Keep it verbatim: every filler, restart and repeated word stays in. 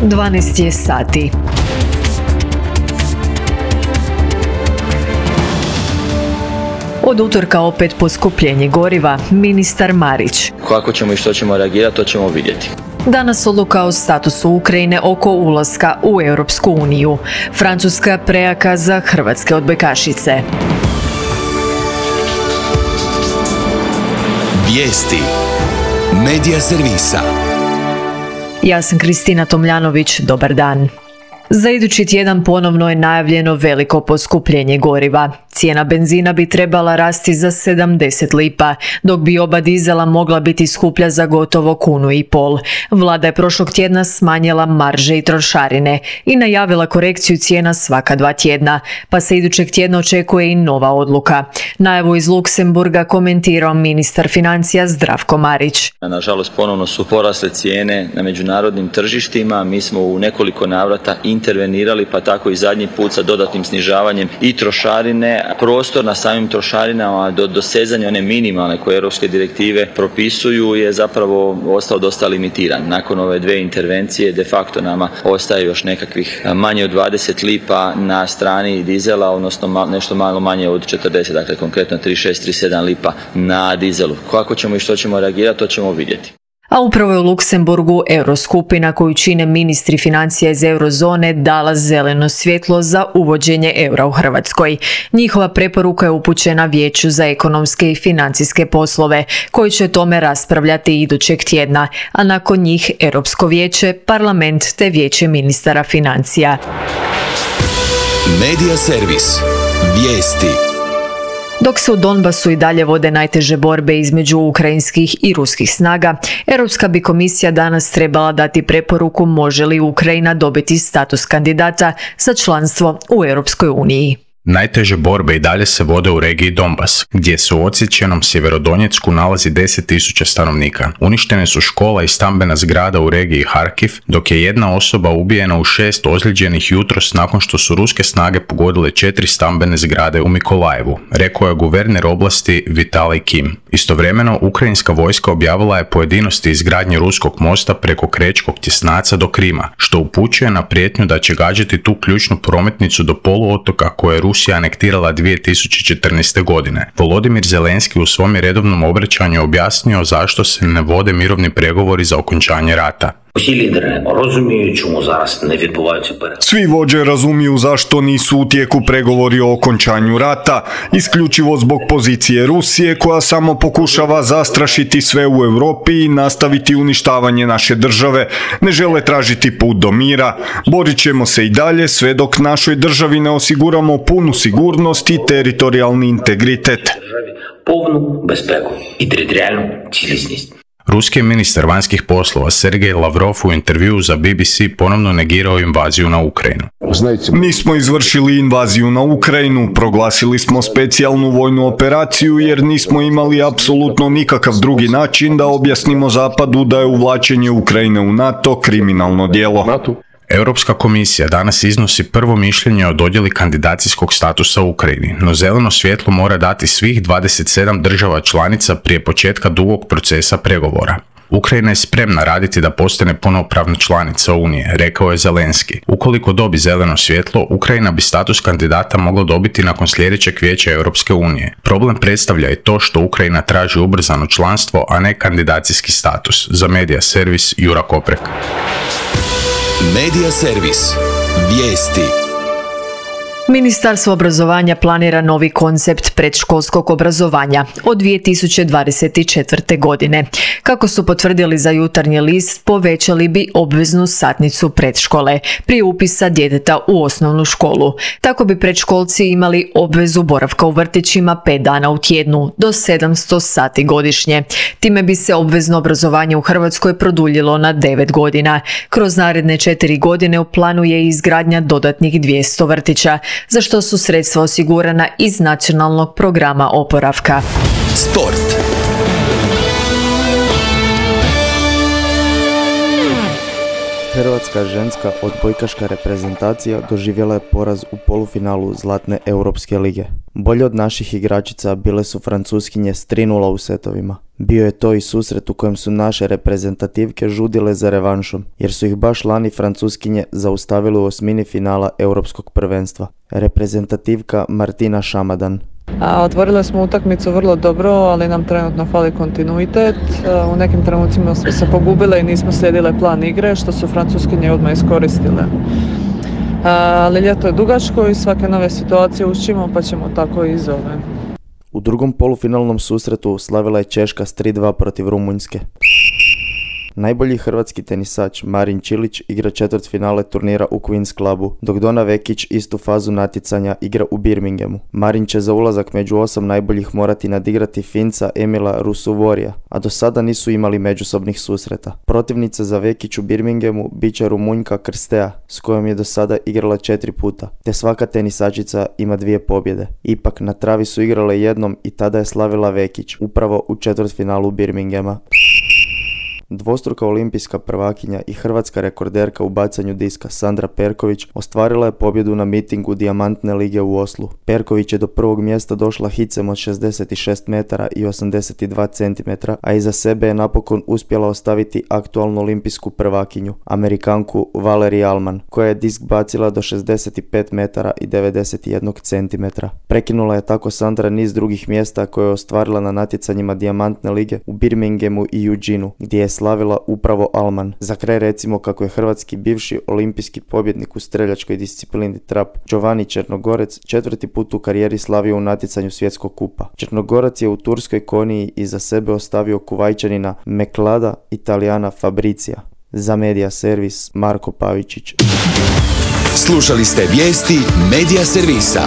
dvanaest je sati. Od utorka opet poskupljenje goriva, ministar Marić. Kako ćemo i što ćemo reagirati, to ćemo vidjeti. Danas odluka o statusu Ukrajine oko ulaska u Europsku uniju. Francuska prejaka za hrvatske odbojkašice. Vijesti Medija servisa. Ja sam Kristina Tomljanović, dobar dan. Za idući tjedan ponovno je najavljeno veliko poskupljenje goriva. Cijena benzina bi trebala rasti za sedamdeset lipa, dok bi oba dizela mogla biti skuplja za gotovo kunu i pol. Vlada je prošlog tjedna smanjila marže i trošarine i najavila korekciju cijena svaka dva tjedna, pa se idućeg tjedna očekuje i nova odluka. Najavu iz Luksemburga komentirao ministar financija Zdravko Marić. Nažalost, ponovno su porasle cijene na međunarodnim tržištima. Mi smo u nekoliko navrata intervenirali, pa tako i zadnji put sa dodatnim snižavanjem i trošarine. Prostor na samim trošarinama do dosezanja one minimalne koje europske direktive propisuju je zapravo ostao dosta limitiran. Nakon ove dve intervencije de facto nama ostaje još nekakvih manje od dvadeset lipa na strani dizela, odnosno nešto malo manje od četrdeset, dakle konkretno trideset šest trideset sedam lipa na dizelu. Kako ćemo i što ćemo reagirati, to ćemo vidjeti. A upravo je u Luksemburgu Euroskupina koju čine ministri financija iz eurozone dala zeleno svjetlo za uvođenje eura u Hrvatskoj. Njihova preporuka je upućena Vijeću za ekonomske i financijske poslove, koji će o tome raspravljati idućeg tjedna, a nakon njih Europsko vijeće, parlament te Vijeće ministara financija. Medija servis. Vijesti. Dok se u Donbasu i dalje vode najteže borbe između ukrajinskih i ruskih snaga, Europska bi komisija danas trebala dati preporuku može li Ukrajina dobiti status kandidata za članstvo u Europskoj uniji. Najteže borbe i dalje se vode u regiji Donbas, gdje se u odsječenom Sjeverodonjecku nalazi deset tisuća stanovnika. Uništene su škola i stambena zgrada u regiji Harkiv, dok je jedna osoba ubijena u šest ozlijeđenih jutros nakon što su ruske snage pogodile četiri stambene zgrade u Mikolajevu, rekao je guverner oblasti Vitalij Kim. Istovremeno, ukrajinska vojska objavila je pojedinosti izgradnje ruskog mosta preko Krečkog tjesnaca do Krima, što upućuje na prijetnju da će gađati tu ključnu prometnicu do poluotoka koje je Rusija anektirala dvije tisuće četrnaeste. godine. Volodimir Zelenski u svom je redovnom obraćanju objasnio zašto se ne vode mirovni pregovori za okončanje rata. Svi vođe razumiju zašto nisu u tijeku pregovori o okončanju rata, isključivo zbog pozicije Rusije koja samo pokušava zastrašiti sve u Europi i nastaviti uništavanje naše države. Ne žele tražiti put do mira. Borit ćemo se i dalje sve dok našoj državi ne osiguramo punu sigurnost i teritorijalni integritet. Повну безпеку і територіальну цілісність. Ruski ministar vanjskih poslova Sergej Lavrov u intervjuu za B B C ponovno negirao invaziju na Ukrajinu. Nismo izvršili invaziju na Ukrajinu, proglasili smo specijalnu vojnu operaciju jer nismo imali apsolutno nikakav drugi način da objasnimo Zapadu da je uvlačenje Ukrajine u NATO kriminalno djelo. Europska komisija danas iznosi prvo mišljenje o dodjeli kandidacijskog statusa Ukrajini, no zeleno svjetlo mora dati svih dvadeset sedam država članica prije početka dugog procesa pregovora. Ukrajina je spremna raditi da postane punopravna članica Unije, rekao je Zelenski. Ukoliko dobi zeleno svjetlo, Ukrajina bi status kandidata mogla dobiti nakon sljedećeg vijeća Europske unije. Problem predstavlja i to što Ukrajina traži ubrzano članstvo, a ne kandidacijski status. Za Medija servis Jura Koprek. Medija servis. Vijesti. Ministarstvo obrazovanja planira novi koncept predškolskog obrazovanja od dvije tisuće dvadeset četvrte. godine. Kako su potvrdili za Jutarnji list, povećali bi obveznu satnicu predškole prije upisa djeteta u osnovnu školu. Tako bi predškolci imali obvezu boravka u vrtićima pet dana u tjednu do sedamsto sati godišnje. Time bi se obvezno obrazovanje u Hrvatskoj produljilo na devet godina. Kroz naredne četiri godine u planu je izgradnja dodatnih dvjesto vrtića, za što su sredstva osigurana iz nacionalnog programa oporavka. Sport. Hrvatska ženska odbojkaška reprezentacija doživjela je poraz u polufinalu Zlatne Europske lige. Bolje od naših igračica bile su Francuskinje s tri nula u setovima. Bio je to i susret u kojem su naše reprezentativke žudile za revanšom, jer su ih baš lani Francuskinje zaustavili u osmini finala Europskog prvenstva. Reprezentativka Martina Šamadan. A, otvorile smo utakmicu vrlo dobro, ali nam trenutno fali kontinuitet. U nekim trenucima smo se pogubile i nismo slijedile plan igre, što su Francuskinje odmah iskoristile. Ali ljeto je dugačko i svake nove situacije učimo, pa ćemo tako i iz ove. U drugom polufinalnom susretu slavila je Češka s tri dva protiv Rumunjske. Najbolji hrvatski tenisač Marin Čilić igra četvrtfinale turnira u Queen's Clubu, dok Dona Vekić istu fazu natjecanja igra u Birminghamu. Marin će za ulazak među osam najboljih morati nadigrati Finca Emila Rusuvorija, a do sada nisu imali međusobnih susreta. Protivnica za Vekić u Birminghamu bit će Rumunjka Krstea, s kojom je do sada igrala četiri puta, te svaka tenisačica ima dvije pobjede. Ipak na travi su igrale jednom i tada je slavila Vekić, upravo u četvrtfinalu Birminghama. Dvostruka olimpijska prvakinja i hrvatska rekorderka u bacanju diska Sandra Perković ostvarila je pobjedu na mitingu Dijamantne lige u Oslu. Perković je do prvog mjesta došla hicem od šezdeset šest metara i osamdeset dva centimetra, a iza sebe je napokon uspjela ostaviti aktualnu olimpijsku prvakinju, Amerikanku Valerie Allman, koja je disk bacila do šezdeset pet metara i devedeset jedan centimetra. Prekinula je tako Sandra niz drugih mjesta koje je ostvarila na natjecanjima Dijamantne lige u Birminghamu i Eugeneu, gdje je slavila upravo Allman. Za kraj recimo kako je hrvatski bivši olimpijski pobjednik u streljačkoj disciplini trap Giovanni Črnogorec četvrti put u karijeri slavio u natjecanju svjetskog kupa. Črnogorac je u turskoj koniji iza sebe ostavio Kuvajčanina Meklada Italijana Fabricija. Za Medija Servis Marko Pavičić. Slušali ste vijesti Medija Servisa.